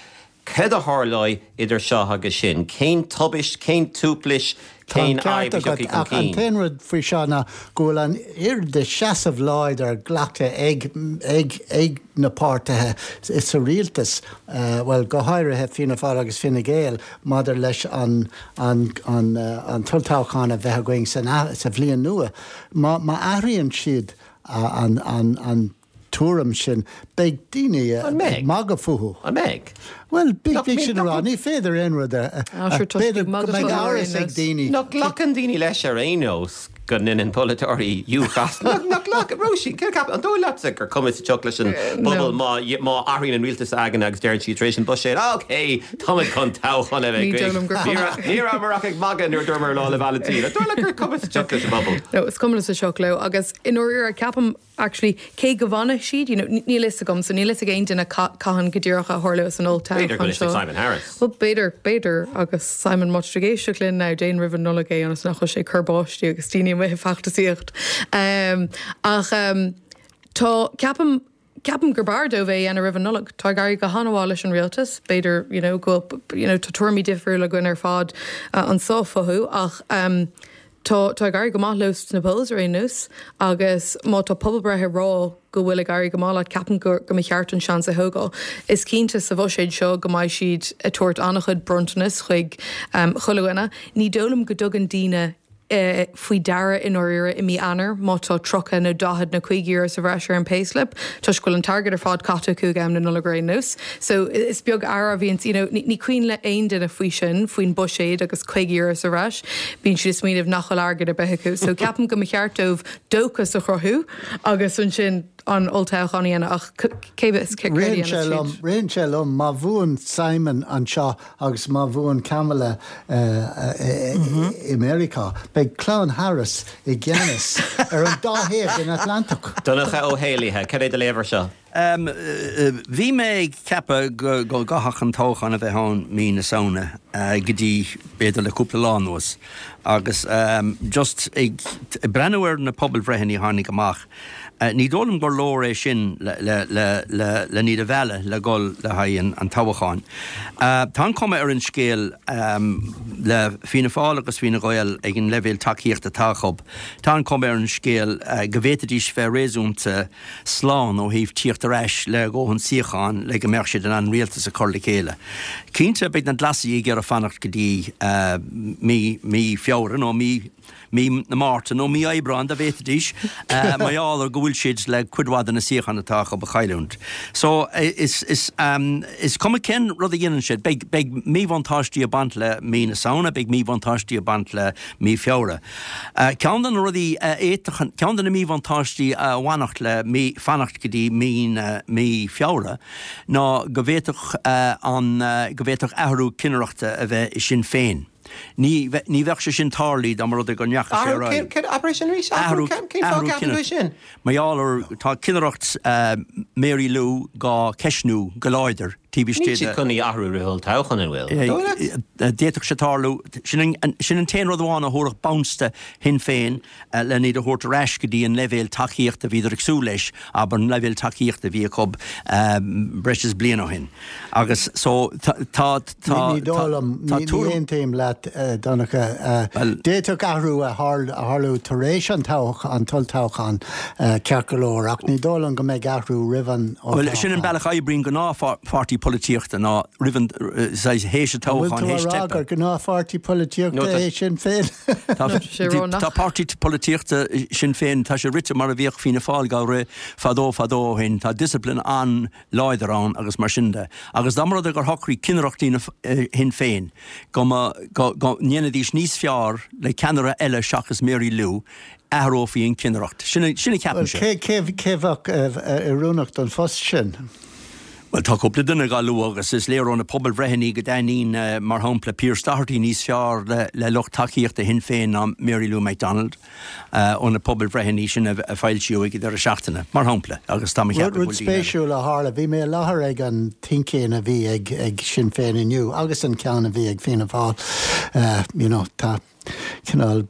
céard a tharlóidh idir seo agus sin, cén tubaist, cén tuaiplis, Tá an ceart agat, ach an t-aon rud faoi seo ná go bhfuil an oiread de seasamh láidir glactha ag ag ag na páirtithe sa rialtas, bhuel, go háirithe Fianna Fáil agus Fine Gael, maidir leis an an an an t-olltoghchán a bheith againn san sa bhliain nua. Má má athraíonn siad an an an tuairim sin, beidh daoine ag magadh fúthu. An mbeidh? Bhuel, bíodh sin ag rá, ní féidir aon rud a, b'fhéidir go mbeidh amhras ag daoine. Nach nglacann daoine leis ar aon nós? go ndeineann polaiteoirí gas Nach nach Róisín, céard a cheapann, an dóigh leatsa gur cuma sa tsioc leis an bpobal má má athraíonn an rialtas s'againne agus deireann siad tar éis an buiséad, ah ok, táimid chun toghchán a bheith Ní dóigh liom gur cuma. Ní rabhamar ach ag magadh nuair a dúramar Lá 'le Vailintín. An dóigh leat gur cuma sa tsioc leis an bpobal? No, is cuma sa tsioc leo agus i ndáiríre ceapaim actually, cé go bhfanfaidh siad, you know, níl fhios agam, so níl fhios ag aon duine cathain go díreach a tharlós an olltoghchán seo. B'fhéidir go bhfuil fhios ag Simon Harris. Bhuel, b'fhéidir, b'fhéidir, agus Simon, má tá tú ag éisteacht linn now, déan roimh an Nollaig é ionas nach bhfuil sé ag cur báistí agus daoine amuigh ag feachtasaíocht. Ach tá, ceapaim, ceapaim gurb fhearr dóibh é a dhéanamh roimh an Nollaig. Tá ag éirí go han-mhaith leis an rialtas, b'fhéidir, you know, go bhfuil, you know, tá tuairimí difriúla againn ar fad anseo fúthu ach, Tá, tá ag éirí go maith leo sna polls ar aon nós agus má tá pobalbhreith ag rá go bhfuil ag éirí go maith leat, ceapaim go, go mba cheart an seans a thógáil. Is cinnte sa bhuiséad seo go mbeidh siad ag tabhairt an-chuid bronntanas chuig chuile dhuine. Ní dóigh liom go dtugann daoine faoi deara i ndáiríre i mí Eanáir má tá 30 nó 40 nó 50 euro sa bhreis ar an payslip toisc go bhfuil an t-airgead ar fad caite acu ag am na Nollag ar aon nós. So is beag aire a bhíonns, you know, ní cuimhin le aon duine faoi sin, faoin buiséad agus 50 euro sa bhreis. Bíonn siad ag smaoineamh nach bhfuil airgead ar bith acu. So ceapaim go mba cheart dóibh dóchas a chruthú agus ansin an olltoghchán a dhéanamh ach cé bhfios céard a dhéanfas siad. Ritheann sé liom, má bhuann Simon anseo agus má bhuann Kamala i Meiriceá, beidh clann Harris i gceannas ar an dá thaobh den Atlantach. Donncha Ó hÉallaithe, cad é do léamh air seo? Bhí mé ag ceapadh go gcaithfeadh an toghchán a bheith ann mí na Samhna go dtí b'fhéidir le cúpla lá anuas agus just ag breathnú ar na pobalbhreitheanna a tháinig amach, ní dóigh liom gur leor é sin len iad a mhealladh le dhul le haghaidh an toghcháin. Tá an chuma ar an scéal le Fianna Fáil agus Fine Gael ag an leibhéal tacaíochta atá acu, tá an chuma ar an scéal go bhféadfaidís bheith réasúnta slán ó thaobh tíocht ar ais le dhóthain suíochán le go mbeadh siad in ann rialtas a chur le chéile. Cinnte, beidh na Glasaigh ag iarraidh fanacht go dtí mí mí Feabhra nó mí mí na Márta nó mí Aibreáin dá bhféadfaidís, mar gheall ar go bhfuil siad le cuid mhaith de na suíocháin atá acu a chailliúint. So, is is is cuma cén rud a dhéanann siad, beidh beidh míbhuntáistí ag baint le mí na Samhna, beidh míbhuntáistí ag baint le mí Feabhra. Ceann de na rudaí a fhéadfadh, ceann de na míbhuntáistí a bhainfeadh le mí, fanacht go dtí mí na, mí Feabhra ná go bhféadfadh an, go bhféadfadh athrú cinnireachta a bheith i Sinn Féin. Ní, ní bheadh sé sin tarlaithe dá mba rud é go ndeachaigh sé ar aghaidh. Athrú, abair é sin arís, athrú, cén fáth a gceapann tú é sin? Mar gheall ar, tá cinnireacht Mary Lou dhá ceistniú go láidir taobh istigh de. Níl siad chun í a athrú roimh olltoghchán, an bhfuil? An dóigh leat? D'fhéadfadh sé tarlú. Sin an t-aon rud amháin a thabharfadh bounce do Shinn Féin len iad a thabhairt ar ais go dtí an leibhéal tacaíochta a bhíodar ag súil leis, abair, an leibhéal tacaíochta a bhí acu breis is bliain ó shin. Agus so tá, tá, tá, Ní dóigh liom, ní aontaím leat, Donncha. D'fhéadfadh athrú a tharlú tar éis an t-olltoghchán, ceart go leor, ach ní dóigh liom go mbeidh athrú roimh an olltoghchán. Bhuel, sin an bealach a oibríonn gnáthpháirtí polaitíochta, ná roimh an, saghas, théis an toghcháin, théis teipe. An bhfuil tú a rá gur gnáthpháirtí polaitíochta é Sinn Féin? Tá páirtí polaitíochta Sinn Féin, tá sé rite mar a bhíodh Fianna Fáil dhá rith fadó fadó ó shin, tá discipline an-láidir ann agus mar sin de. Agus dá mba rud é gur shocraigh cinnireachtaí Shinn Féin go mba, go ndéanfaidís níos fearr le ceannaire eile seachas Mary Lou, athrófaí an chinnireacht. Sin a ceapaimse. Bhuel, cé, cé bheadh oiriúnach don phost sin? Bhuel, tá cúpla duine dhá lua agus is léir ó na pobalbhreitheanna go dtaitníonn, mar shampla, Pearse Doherty níos fearr le lucht tacaíochta Shinn Féin ná Mary Lou McDonald, ó na pobalbhreitheanna sin a foilsíodh ag an deireadh seachtaine, mar shampla, agus tá mé ag ceapadh go bhfuil daoine eile. Rud spéisiúil a tharla, bhí mé i láthair ag an Think-In a bhí ag Sinn Féin inniu agus an ceann a bhí ag Fianna Fáil, you know, tá. cineál,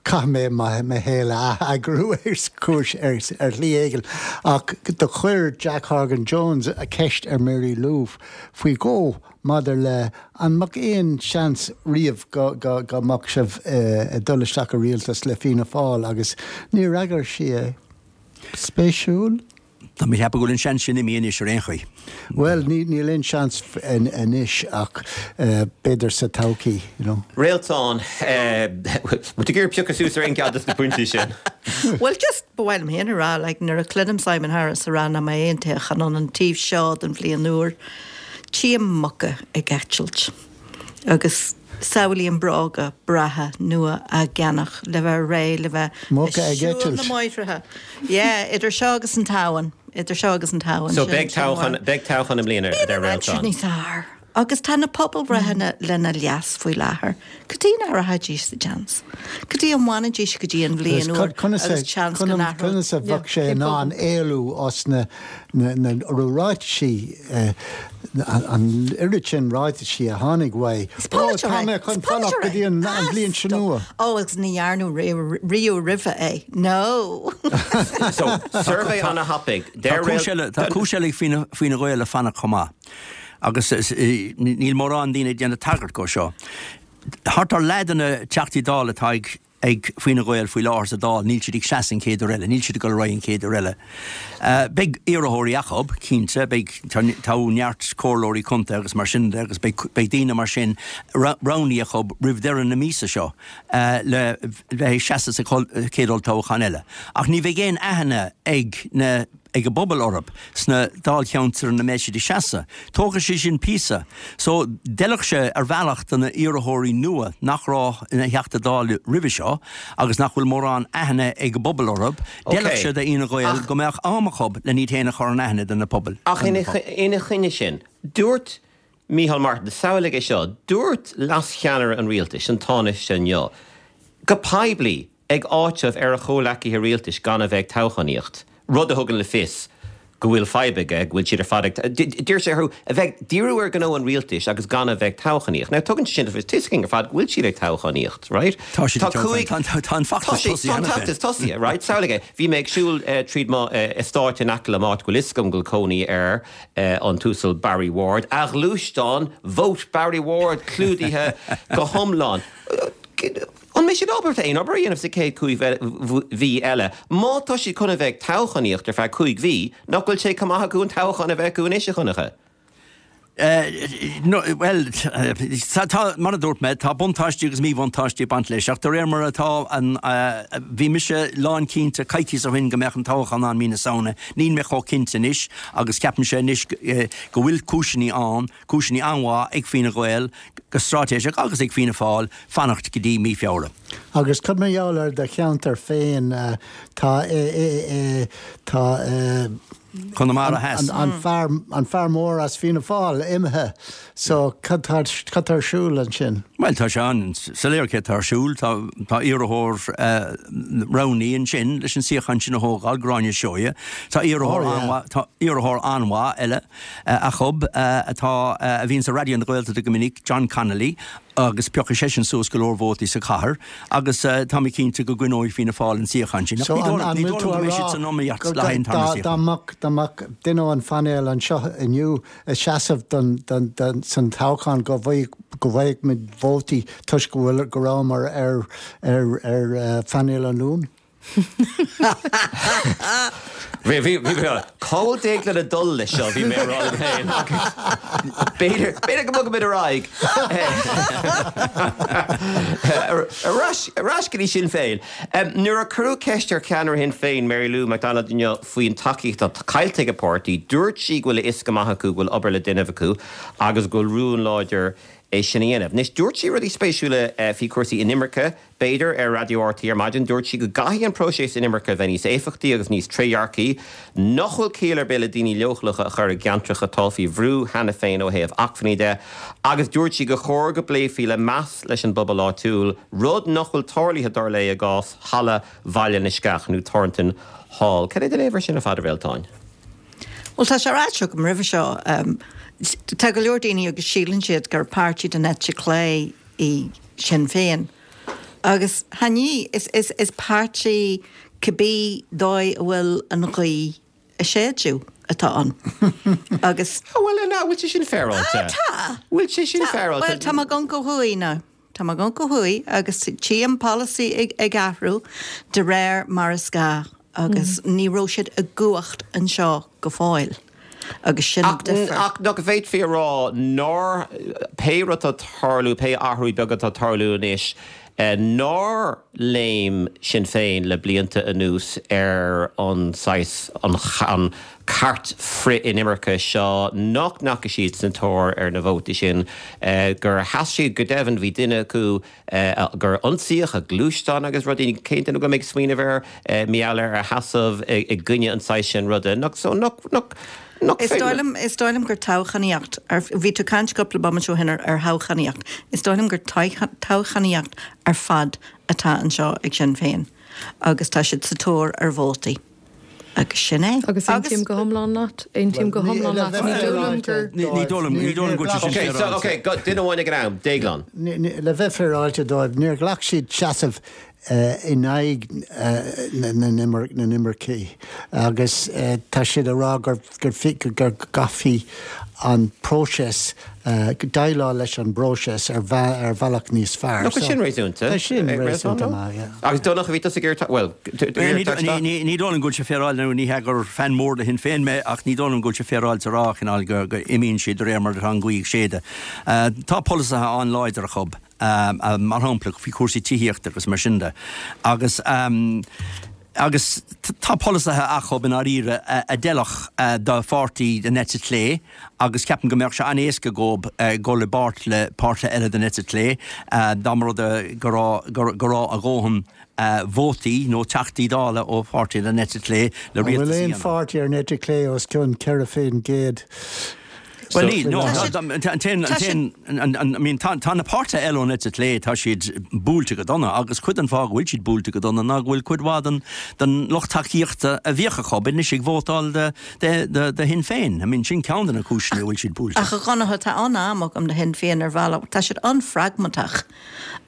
caithfidh mé mo shaol a ath-eagrú ar chúis, ar shlí éigin. Ach do chuir Jack Horgan Jones ceist ar Mary Lou faoi dhó maidir le an mbeadh aon seans riamh go go mbeadh sibh ag dul isteach i rialtas le Fianna Fáil agus níor fhreagair sí é. Spéisiúil. Tá mé ag ceapadh go bhfuil an seans sin imithe anois ar aon chaoi. Bhuel, níl aon seans anois ach b'fhéidir sa todhchaí, you know. Réaltán, bhfuil tú ag iarraidh piocadh suas ar aon cheann de na pointí sin? Bhuel, just ba mhaith liom féin a rá, like, nuair a chluinim Simon Harris a rá nach mbeidh aon toghchán ann an taobh seo den bhliain úr, tchím muca ag eitilt. Agus. Samhlaím bróga breátha nua á gceannach le bheith réidh le bheith Muca ag ag siúl eitilt. na mbóithre. Yeah, idir seo agus an tSamhain, idir seo agus an tSamhain, So sin beidh sin toghchán, amháin. beidh toghchán i mbliana, a Bíonn deir an aimsir Réaltán. níos fearr agus tá na pobalbhreitheanna lena leas faoi láthair. Cad chuige nach rachaidís sa tseans? Cad chuige a bhfanfaidís go dtí an bhliain úr agus seans go n-athródh? Conas a bheadh sé in ann éalú as na ráitisí, an oiread sin ráitisí a tháinig uaidh? Is Ó, polaiteoir tá é. mé Is chun fanacht polaiteoir go dtí é. an bhliain seo nua. Ó, agus ní dhearnadh riamh roimhe é. No! So, suirbhé ana-thapaidh. Tá cúis eile, tá cúis eile ag Fine Gael le fanacht chomh maith. Agus níl mórán daoine ag déanamh tagairt dhó seo. Thart ar leath de na Teachtaí Dála atá ag ag Fine Gael faoi láthair sa Dáil, níl siad ag seasamh an chéad uair eile, níl siad ag dul ar aghaidh an chéad uair eile. Beidh iarrthóirí acu, cinnte, beidh, toghadh neart comhairleoirí contae agus mar sin de agus beidh beidh daoine mar sin roghnaithe acu roimh deireadh na míosa seo le bheith ag seasamh sa chéad olltoghchán eile. Ach ní bheidh aon aithne ag na ag an bpobal orthu sna dáilcheantair ina mbeidh siad ag seasamh. Tógfaidh sé sin píosa. So, d'fheilfeadh sé ar bhealach do na iarrthóirí nua nach raibh ina dTeachta Dála roimhe seo agus nach bhfuil mórán aithne ag an bpobal orthu, d'fheilfeadh sé d'Fhine Gael go mbeadh am acu len iad féin a chur in aithne do na pobail. Ach ina choinne sin, dúirt Micheál Martin, samhlaigh é seo, dúirt leascheannaire an rialtais, an Tánaiste inniu, go poiblí, ag áiteamh ar a chomhleacaithe rialtais gan a bheith ag toghchánaíocht, rud a thugann le fios go bhfuil fadhb aige, go bhfuil siad ar fad ag, d'iarr sé orthu a bheith ag díriú ar ghnó an rialtais agus gan a bheith ag toghchánaíocht. Now tugann sé sin le fios, tá a fhios againn ar fad go bhfuil siad ag toghchánaíocht, right? Tá siad ag toghchánaíocht, tá an feachtas tosaithe Tá an feachtas tosaithe, right? Samhlaigh é, bhí mé ag siúl tríd mo eastáit in aice le m'áit go bhfuil fhios agam go bhfuil cónaí ar an tUasal Barry Ward, a ghluaisteán, Vote Barry Ward clúdaithe go hiomlán. An mbeidh siad ábalta aon obair a dhéanamh sa chéad chúig mhí eile? Má tá siad chun a bheith ag toghchánaíocht ar feadh chúig mhí, nach bhfuil sé chomh maith acu an toghchán a bheith acu anois, a Dhonncha? Bhuel, tá, mar a dúirt mé, tá buntáistí agus míbhuntáistí ag baint leis, ach de réir mar atá an, bhí mise lánchinnte coicíos ó shin go mbeadh an toghchán ann mí na Samhna, níl mé chomh cinnte anois agus ceapaimse anois go bhfuil cúiseanna ann, cúiseanna an-mhaith ag Fine Gael go straitéiseach agus ag Fianna Fáil fanacht go dtí mí Feabhra. Agus cad mar gheall ar do cheantar féin, tá tá Conamara Theas. an fear an fear mór as Fianna Fáil imithe so cad tá cad tá ar siúl ansin? Bhuel tá sé an-soiléir céard tá ar siúl, tá tá iarrthóir roghnaithe ansin leis an suíochán sin a thógáil, Gráinne Seoighe. Tá iarrthóir an-mhaith tá iarrthóir an-mhaith eile acu atá, a bhíonns ar Raidió na Gaeltachta go minic, John Connolly, agus piocfaidh seisean suas go leor vótaí sa chathair agus tá mé cinnte go gcoinneoidh Fianna Fáil an suíochán sin. Ach ní dóigh liom, ní dóigh liom go mbeidh siad san iomaíocht le haghaidh an tarna suíochán. Dá mbeadh, dá mbeadh duine ón phainéal anseo inniu ag seasamh don, don, don, san toghchán go bhfaigheadh, go bhfaigheadh muid vótaí toisc go bhfuil, go rabhamar ar, ar, ar phainéal an Luain? Bhí, bhí, bhí, cá bhfuil Déaglán ag dul leis seo, bhí mé ag rá liom féin. B'fhéidir, b'fhéidir go mbogfaimid ar aghaidh. Ar ais, ar ais go dtí Sinn Féin. Nuair a cuireadh ceist ar cheannaire Shinn Féin, Mary Lou McDonald inniu faoin tacaíocht atá caillte ag a páirtí, dúirt sí go bhfuil a fhios go maith acu go bhfuil obair le déanamh acu agus go bhfuil rún láidir é sin a dhéanamh. Anois, dúirt sí rudaí spéisiúla faoi chúrsaí inimirce, B'fhéidir, ar Raidió RTÉ ar maidin, dúirt sí go gcaithfidh an próiseas inimirce a bheith níos éifeachtaí agus níos trédhearcaí, nach bhfuil ciall ar bith le daoine leochaileacha a chur i gceantracha atá faoi bhrú cheana féin ó thaobh acmhainní de, agus dúirt sí gur chóir go bpléifí le meas leis an bpobal áitiúil, rud nach bhfuil tarlaithe, dar léi, i gcás Halla Bhaile na Sceach nó Thornton Hall. Cad é do léamh air sin ar fad, a Réaltáin? Bhuel, tá sé ráite agam roimhe seo, tá go leor daoine agus síleann siad gur páirtí den eite chlé í Sinn Féin. Agus chan í, is, is, is páirtí cibé dóigh a bhfuil an ghaoth ag séideadh atá ann. Agus. Ah, bhuel, an bhfuil sé sin féaráilte? Ah, tá! Bhfuil sé sin Tá. féaráilte? Bhuel, tá mé ag amharc ó thuaidh now. Tá mé ag amharc ó thuaidh agus tchím polasaí ag, ag athrú de réir mar is gá agus ní raibh siad i gcumhacht anseo go fóill. Agus sin an difear. Ach nach bhféadfaí a rá nár, pé rud atá ag tarlú, pé athrú beag atá ag tarlú anois. Nár léim Sinn Féin le blianta anuas ar an saghas, an cairt frith-inimirce seo, nach ndeachaigh siad sa tóir ar na vótaí sin, gur sheas siad, go deimhin bhí duine acu gur ionsaíodh a ghluaisteán agus rudaí, cén duine go mbeidh smaoineamh air, mar gheall ar a sheasamh i gcoinne an saghas sin ruda, nach, so nach, nach, nach Is dóigh liom, is dóigh liom gur toghchánaíocht, ar, bhí tú ag caint cúpla bomaite ó shin ar, ar thoghchánaíocht, is dóigh liom gur toghchánaíocht ar fad atá anseo ag Sinn Féin agus tá siad sa tóir ar vótaí. Agus sin é. Agus aontaím go hiomlán leat. Aontaím go hiomlán leat. Ní dóigh liom gur. Ní dóigh liom, ní dóigh liom go bhfuil sé sin féaráilte. Ok, so, ok, duine amháin ag an am. Déaglán. Le bheith féaráilte dóibh, níor ghlac siad seasamh in aghaidh na n-imircigh agus tá siad ag rá gur go gcaithfí an próiseas, déileáil leis an bpróiseas ar bhealach níos fearr. Nach bhfuil sin réasúnta? Tá sin réasúnta maith, yeah. Agus Donncha, bhí tusa ag iarraidh, bhuel, iarraidh Ní dóigh liom go bhfuil sé féaráilte, nó ní hea gur fan mór de Shinn Féin mé, ach ní dóigh liom go bhfuil sé féaráilte a rá, cineál, go imíonn siad de réir mar atá an ghaoth ag séideadh. Tá polasaithe an-láidir acu, mar shampla, faoi chúrsaí tithíochta agus mar sin de. Agus. Agus tá polasaithe acu i ndáiríre a d'fheilfeadh do pháirtí den eite chlé agus ceapaim go mbeadh sé an-éasca dhóib dul i bpáirt le páirtithe eile den eite chlé dá mba rud é go raibh go raibh a dhóthain vótaí nó Teachtaí Dála ó pháirtithe den eite chlé le rialtas a dhéanamh. An bhfuil aon pháirtí ar an eite chlé os cionn 4%? Bhuel níl, no, an t-aon, an t-aon, I mean tá na páirtithe eile ón eite chlé, tá siad buailte go dona agus cuid den fáth go bhfuil siad buailte go dona ná go bhfuil cuid mhaith den, den lucht tacaíochta a bhíodh acu anois ag vótáil do, do, do Shinn Féin. I mean sin ceann de na cúiseanna a bhfuil siad buailte. Ach a Dhonncha, tá an-am agam do Shinn Féin ar bhealach, tá siad an-phragmatach.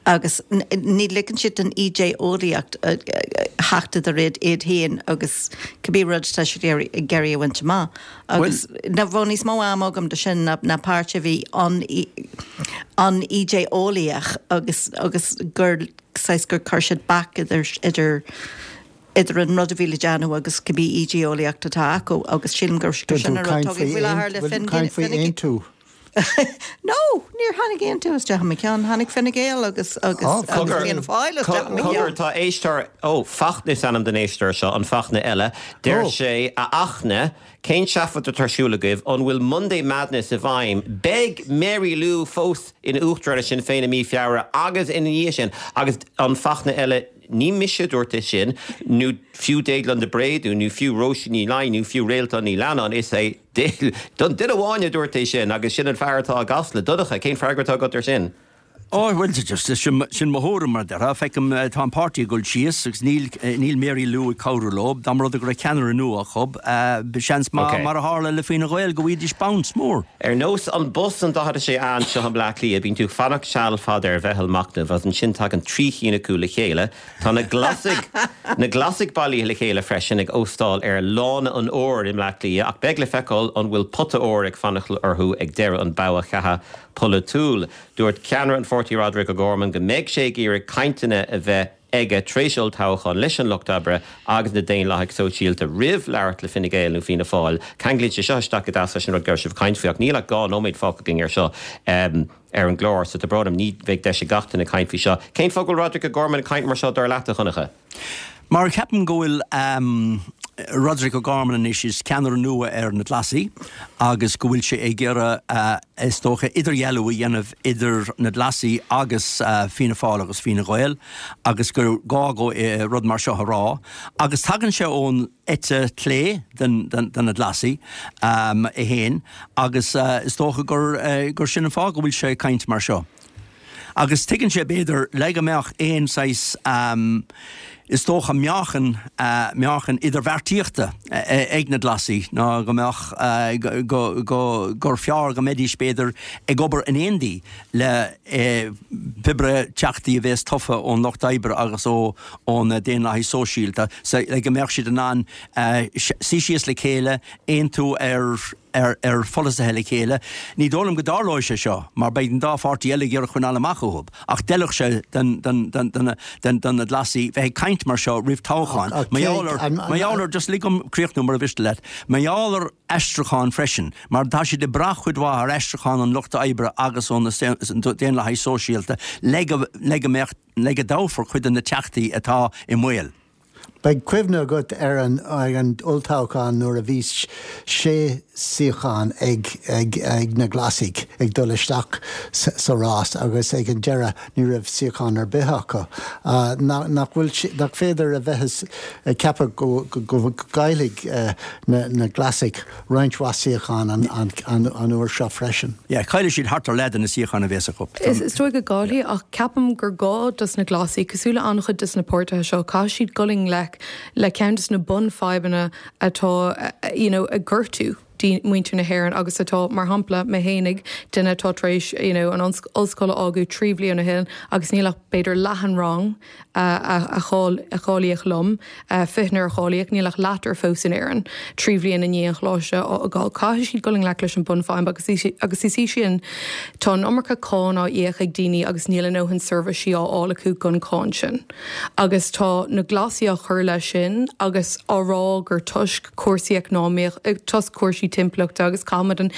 agus ní ligeann siad don ídé-eolaíocht theacht idir iad iad féin agus cibé rud atá siad ag iarraidh a bhaint amach. Agus bheadh níos mó ama agam do sin ná páirtí a bhí an-ídé-eolaíoch agus agus gur saghas gur chuir siad bac idir idir idir an rud a bhí le déanamh agus cibé ídé-eolaíocht atá acu agus sílim gur sin an rud atá faoi láthair le Fine Gael. No, níor tháinig aontú isteach i mo cheann. Tháinig Fine Gael agus agus agus Fianna Fáil isteach i mo cheann. Cogar, tá éisteoir, ó, Fachtna is ainm don éisteoir seo, an Fachtna eile. Deir sé, a Fhachtna, cén seafóid atá ar siúl agaibh? An bhfuil Monday Madness i bhfeidhm? Beidh Mary Lou fós ina Uachtarán ar Sinn Féin i mí Feabhra agus ina dhiaidh sin. Agus an Fachtna eile, ní mise a dúirt é sin, nó fiú Déaglán de Bréadún, nó fiú Róisín Ní Laighin, nó fiú Réaltán Ní Leannáin, is é Don duine amháin a dúirt é sin agus sin an fear atá i gCasla. Donncha, cén freagra atá agat ar sin? Ó, bhuel, just, sin, sin mo thuairim, mar a déarfá. Feicim, tá an páirtí ag dul síos agus níl, níl Mary Lou ag cabhrú leo. Dá mba rud é go raibh ceannaire nua acu, seans maith, mar a tharla le Fine Gael, go bhfaighidís bounce mór. Ar nós an bus an 46A anseo i mBleá Cliath, bíonn tú ag fanacht seal fada ar mheitheal machnaimh agus ansin tagann 3 chinn acu le chéile. Tá na Glasaigh na Glasaigh bailithe le chéile freisin ag óstáil ar Lána an Óir i mBleá Cliath ach beidh le feiceáil an bhfuil pota óir ag fanacht orthu ag deireadh an bhogha cheatha polaitiúil. Dúirt ceannaire an pháirtí Roderic O'Gorman go mbeidh sé ag iarraidh cainteanna a bheith aige tar éis olltoghcháin leis an Lucht Oibre agus na Daonlathaigh Sóisialta roimh labhairt le Fine Gael nó Fianna Fáil. Ceanglaíonn sé seo isteach go deas leis an rud go raibh sibh ag caint faoi ach níl ach 2 nóiméad fágtha againn air seo. ar an gclár, so tá brón orm, ní bheidh deis ag gach duine caint faoi seo. Cén fáth go bhfuil Roderic O'Gorman ag caint mar seo, dar leat, a Dhonncha? Mar ceapaim go bhfuil Roderic O'Gorman anois is ceannaire nua ar na Glasaigh agus go bhfuil sé ag iarraidh, is dócha, idirdhealú a dhéanamh idir na Glasaigh agus Fianna Fáil agus Fine Gael agus gur gá dó rud mar seo a rá. Agus tagann sé ón eite chlé de na Glasaigh é féin agus is dócha gur sin an fáth go bhfuil sé ag caint mar seo. Agus tuigeann sé, b'fhéidir, le go mbeadh aon saghas, is dócha, meáchan, meáchan idirbheartaíochta ag na Glasaigh ná go mbeadh, go, go, gur fearr go mbeidís, b'fhéidir, ag obair in éindí le pébrí teachtaí a bhéas tofa ón Lucht Oibre agus ó ó na Daonlathaigh Sóisialta le go mbeadh siad in ann suí síos le chéile, aontú ar. ar pholasaithe le chéile. Ní dóigh liom go dtarlóidh sé seo mar beidh an dá pháirtí eile ag iarraidh coinneáil amach uathu. Ach d'fheilfeadh sé do na Glasaigh bheith ag caint mar seo roimh toghchán. Mar gheall ar, mar gheall ar, just lig dom críochnú mura mhiste leat, mar gheall ar aistriúchán freisin, mar tá siad ag brath cuid mhaith ar aistriúchán an lucht oibre agus ó na Daonlathaithe Sóisialta le go, le go mbeadh, le go dtoghfar cuid de na teachtaí atá i mbaol. Beidh cuimhne agat ar an olltoghchán nuair a bhí sé suíochán ag na Glasaigh ag dul isteach sa rás agus ag an deireadh ní raibh suíochán ar bith acu. Nach bhfuil, nach féidir a bheith ag ceapadh go gcaillfidh na Glasaigh roinnt mhaith suíochán an uair seo freisin. Yeah, caillfidh siad thart ar leath de na suíocháin a bhéas acu. Is dóigh go gcaillfidh, ach ceapaim gur gá dos na Glasaigh, cosúil le an-chuid dos na páirtithe seo, caithfidh siad dul i ngleic le ceann dos na bunfhadhbanna atá you know ag gortú muintir na hÉireann agus atá, mar shampla, mé fhéinig, duine atá tar éis you know an ollscoil a fhágáil 3 bhliain ó shin agus níl ach b'fhéidir leath an rang a cháilíodh liom, 20 nuair a cháilíodh, níl ach leathar fós in Éirinn, 3 bhliain i ndiaidh an choláiste a fhágáil. Caithfidh siad dul i ngleic leis an bunfhadhb agus agus is í sin, tá an iomarca cáin á íoc ag daoine agus níl a ndóthain seirbhísí á fháil acu don cháin sin. Agus tá na Glasaigh á chur leis sin agus á rá gur toisc cúrsaí eacnamaíoch, toisc cúrsaí timpeallachta agus caithfimid an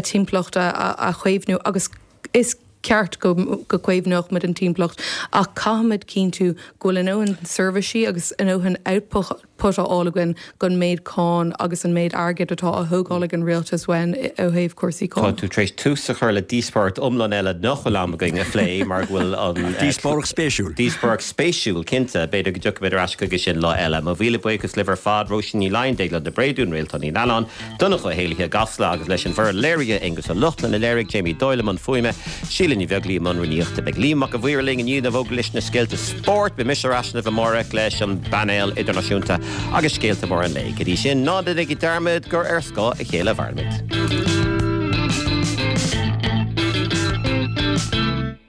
timpeallacht a chaomhnú agus is ceart go gcaomhnódh muid an timpeallacht ach caithfimid cinntiú go bhfuil a ndóthain seirbhísí agus a ndóthain output á fháil againn don méid cáin agus an méid airgid atá á thógáil ag an rialtas uainn ó thaobh cúrsaí Tá tú tar éis tús a chur le díospóireacht iomlán eile nach bhfuil am againn a phlé mar go bhfuil an. Díospóireacht spéisiúil. Díospóireacht spéisiúil, cinnte. B'fhéidir go dtiocfaimid ar ais chuige sin lá eile. Mo mhíle buíochas libh ar fad, Róisín Ní Laighin, Déaglán de Bréadún, Réaltán Ní Leannáin, Donncha Ó hÉallaithe i gCasla agus leis an bhfoireann léirithe, Aengus Ó Lochlainn a léirigh, Jamie Doyle i mbun fuaime, Síle Ní Bheaglaoí i mbun rúnaíochta. Beidh Liam Mac a' Mhaoir linn i ndiaidh na bhfógraí leis na scéalta spóirt. Beidh mise ar ais libh amárach leis an bpainéal idirnáisiúnta agus scéalta móra an lae. Go dtí sin, ná déanaigí dearmad gur ar scáth a chéile a mhairimid.